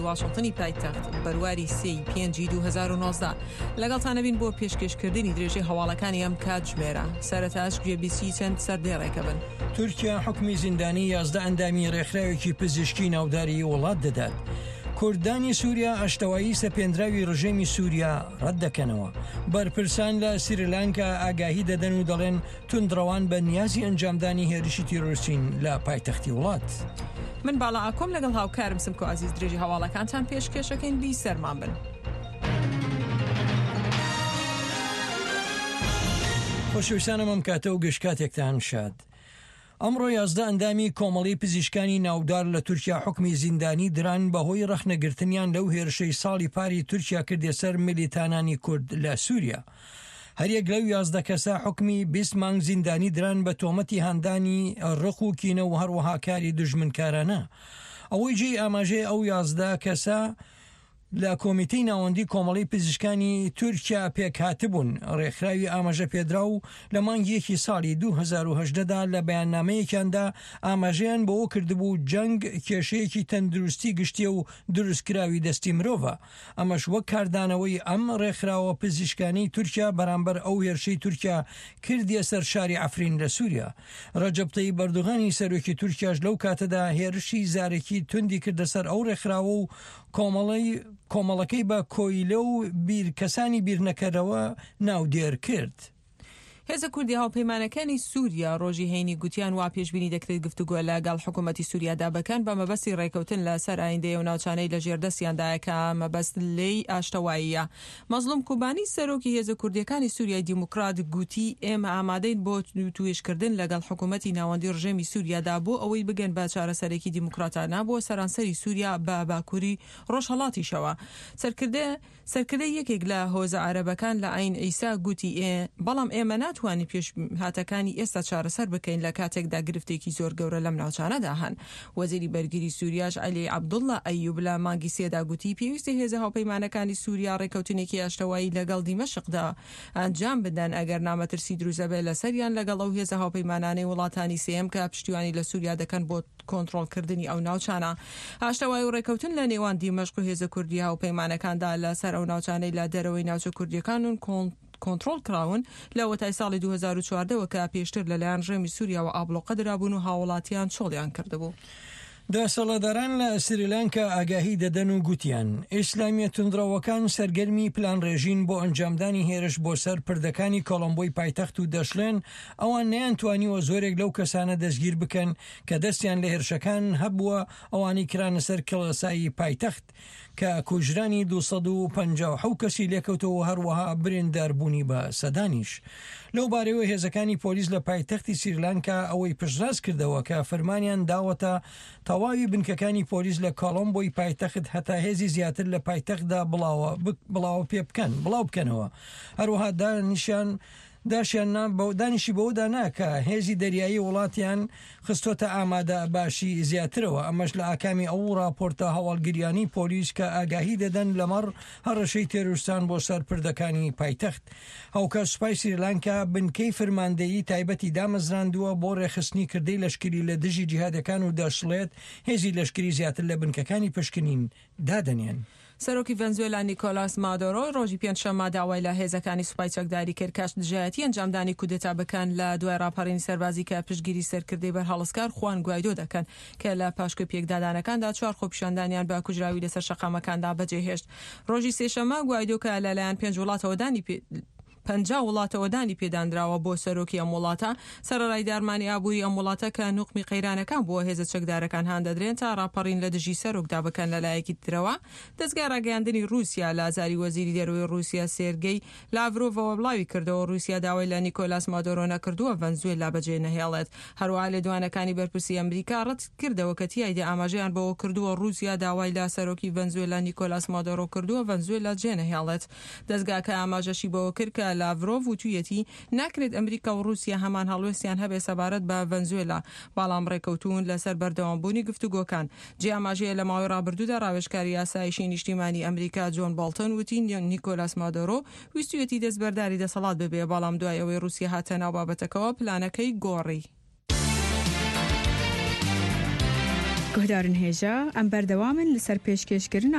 واشنتنی پایتەخت بەرواری سێی پێنجی 2019 لەگەڵتانەبین بۆ پێشکێشکردنی درێژەی هەواڵەکانی ئەم کاتژمێرە سەرەتاش گوێبیستی چەند سەردێڕێکە بن. تورکیا حوکمی زیندانی 11 ئەندامی ڕێکخراوێکی پزیشکی ناوداری وڵات دەدات. کوردانی سووریا ئاشتەوایی سەپێندراوی ڕژێمی سووریا ڕەت دەکەنەوە. بەرپرسان لە سریلانکا ئاگاهی دەدەن و دەڵێن توندڕەوان بە نیازی ئەنجامدانی هێرشی تیرۆرستین لە پایتەختی وڵات. من باڵا ئاکۆم لەگەڵ هاوکارم سمکۆ عەزیز درێژی هەواڵەکانتان پێشکێشەکەین بیسەرمان بن. خۆشەویستانم ئەم کاتە و گشت کاتێکتان شاد. ئەمڕۆ 11 ئەندامی کۆمەڵی پزیشکانی ناودار لە تورکیا حوکمی زیندانی دران بەهۆی ڕەخنەگرتنیان لەو هێرشەی ساڵی پاری تورکیا کردیە سەر میلیتانانی کورد لە سوریا. هەریەک لەو 11 کەسە حوکمی 20 مانگ زیندانی دران بە تۆمەتی هاندانی ڕق و کینە و هەروەها کاری دوژمنکارانە. ئەوەی جێی ئاماژەیە ئەو 11 کەسە لە کۆمیتەی ناوەندی کۆمەڵەی پزیشکانی تورکیا پێکهاتبوون، ڕێکخراوی ئاماژەپێدراو لە مانگی یەکی ساڵی 2018 دا لە بەیاننامەیەکیاندا ئاماژەیان بەوە کردبوو جەنگ کێشەیەکی تەندروستی گشتیە و دروستکراوی دەستی مرۆڤە، ئەمەش وەک کاردانەوەی ئەم ڕێکخراوە پزیشکانەی تورکیا بەرامبەر ئەو هێرشەی تورکیا کردیە سەر شاری عەفرین لە سوریا. ڕەجەب تەیب ئەردۆغانی سەرۆکی تورکیاش لەو کاتەدا هێرشی زارەکی توندی کردە سەر ئەو ڕێکخراوە و کۆمەڵەی کۆمەڵەکەی بە کۆیلە و بیر کەسانی بیرنەکەرەوە ناودێر کرد. هێزە کوردی هاوپەیمانەکانی سووریا ڕۆژی هەینی گوتیان وا پێشبینی دەکرێت گفتوگۆ لە گەڵ حکوومەتی سووریادا بکەن بە مەبەستی ڕێکەوتن لە سەر ئایندەی ئەو ناوچانەی لە ژێر دەستیاندایە کە مەبەست لێی ئاشتەواییە. مەزڵوم کوبانی سەرۆکی هێزە کوردییەکانی سووریای دیموکرات گوتی ئێمە ئامادەین بۆ وتووێژکردن لەگەڵ حکوومەتی ناوەندی ڕژێمی سووریادا بۆ ئەوەی بگەن بە چارەسەرێکی دیموکراتانە بۆ سەرانسەری سووریا بە باکووری ڕۆژهەڵاتیشەوە. سەرکردە سەرکردەی یەکێک لە هۆزە عەرەبەکان لە عەین عیسا گوتی ئێ بەڵام ئێمە ناتوانین پێشهاتەکانی ئێستا چارەسەر بکەین لە کاتێکدا گرفتێکی زۆر گەورە لەم ناوچانەدا هەن. وەزیری بەرگری سوریاش عەلی عەبدوڵڵا ئەیوب لە مانگی سێدا گوتی پێویستە هێزە هاوپەیمانەکانی سوریا ڕێککەوتنێکی ئاشتەوایی لەگەڵ دیمەشقدا ئەنجام بدەن ئەگەرنا مەترسی دروست دەبێت لەسەریان لەگەڵ ئەو هێزە هاوپەیمانانەی وڵاتانی سێیەم کە پشتیوانی لە سوریا دەکەن بۆ کۆنتڕۆڵکردنی ئەو ناوچانە. ئاشتەوایی و ڕێککەوتن لە نێوان دیمەشق و هێزە کوردییە هاوپەیمانەکاندا لەسەر ئەو ناوچانەی لە دەرەوەی ناوچە کوردییەکان کۆنتڕۆڵ کراون لە وەتای ساڵی 2014 وە کە پێشتر لەلایەن ڕژێمی سوریاوە ئابڵۆقە درابوون و هاوڵاتیان چۆڵیان کردبوو. دەسەڵاتداران لە سریلانکا ئاگاهی دەدەن و گوتیان، ئیسلامییە توندڕەوەکان سەرگەرمی پلانڕێژین بۆ ئەنجامدانی هێرش بۆ سەر پردەکانی کۆڵۆمبۆی پایتەخت و دەشڵێن، ئەوان نەیانتوانیوە زۆرێک لەو کەسانە دەستگیر بکەن کە دەستیان لە هێرشەکان هەبووە ئەوانەی کرانە سەر کڵێسای پایتەخت کە کوژرانی 257 کەسی لێکەوتەوە و هەروەها برینداربوونی بە سەدانیش. لەو بارەیەوە هێزەکانی پۆلیس لە پایتەختی سریلانکا ئەوەی پشتڕاست کردەوە کە فەرمانیان داوەتە تەواوی بنکەکانی پۆلیس لە کۆڵۆمبۆی پایتەخت هەتا هێزی زیاتر لە پایتەختدا بڵاوە بڵاوە پێ بکەن بڵاو بکەنەوە هەروەها دانیشان داشیان نا دانیشی بەوەدا نا کە هێزی دەریایی وڵاتیان خستۆتە ئامادە باشی زیاترەوە، ئەمەش لە ئاکامی ئەو ڕاپۆرتە هەواڵگریانەی پۆلیس کە ئاگاهی دەدەن لەمەڕ هەڕەشەی تێرۆرستان بۆ سەر پردەکانی پایتەخت. هاوکات سوپای سریلانکا بنکەی فرماندەیی تایبەتی دامەزراندووە بۆ ڕێکخستنی کردەی لەشکری لە دژی جیهادەکان و دەشڵێت هێزی لەشکری زیاتر لە بنکەکانی پشکنین دادەنێن. سەرۆکی ڤەنزوێلا نیکۆلاس مادۆرۆ ڕۆژی پێنجشەممە داوای لە هێزەکانی سوپای چەکداری کرد کە دژایەتی ئەنجامدانی کودەتا بکەن لە دوای ڕاپەڕینی سەربازی کە پشتگیری سەرکردەی بەرهەڵستکار خوان گوایدۆ دەکەن کە لە پاشکۆی پێکدادانەکاندا چوار خۆپیشاندانیان بە کوژراوی لەسەر شەقامەکاندا بەجێهێشت. ڕۆژی سێشەممە گوایدۆ کە لەلایەن پێنج وڵاتەوە دانی 50 وڵاتەوە دانی پێدانراوە بۆ سەرۆکی ئەم وڵاتە، سەرەڕای دارمانی ئابووری ئەم وڵاتە کە نوقمی قەیرانەکان بووە، هێزە چەکدارەکان هاندەدرێن تا ڕاپەڕین لە دژی سەرۆکدا بکەن. لە لایەکی ترەوە دەزگای ڕاگەیاندنی ڕووسیا لە زاری وەزیری دەرەوەی ڕووسیا سێرگەی لاڤرۆڤەوە بڵاوی کردەوە، ڕووسیا داوای لە نیکۆلاس مادۆرۆ نەکردووە ڤەنزوێلا بەجێ نەهێڵێت. هەروەها لێدوانەکانی بەرپرسی ئەمریکا ڕەت کردەوە کە تیایدا ئاماژەیان بەوە کردووە ڕووسیا داوای لە سەرۆکی ڤەنزوێلا نیکۆلاس مادۆرۆ کردووە ڤەنزوێلا جێنەهێڵێت. دەزگاکە ئاماژەشی بەوە کرد کە لاڤرۆڤ وتویەتی ناکرێت ئەمریکا و ڕووسیا هەمان هەڵوێستیان هەبێت سەبارەت بە ڤەنزوێلا، بەڵام ڕێکەوتوون لەسەر بەردەوامبوونی گفتوگۆکان. جێی ئاماژەیە لە ماوەی ڕابردوودا ڕاوێژکاری ئاسایشی نیشتیمانی ئەمریکا جۆن بۆڵتن وتی نیکۆلاس مادۆرۆ ویستویەتی دەستبەرداری دەسەڵات ببێ، بەڵام دوای ئەوەی ڕووسیا هاتە ناو بابەتەکەوە پلانەکەی گۆڕی. Guhdarên hêja, em berdewam in li ser pêşkêşkirina.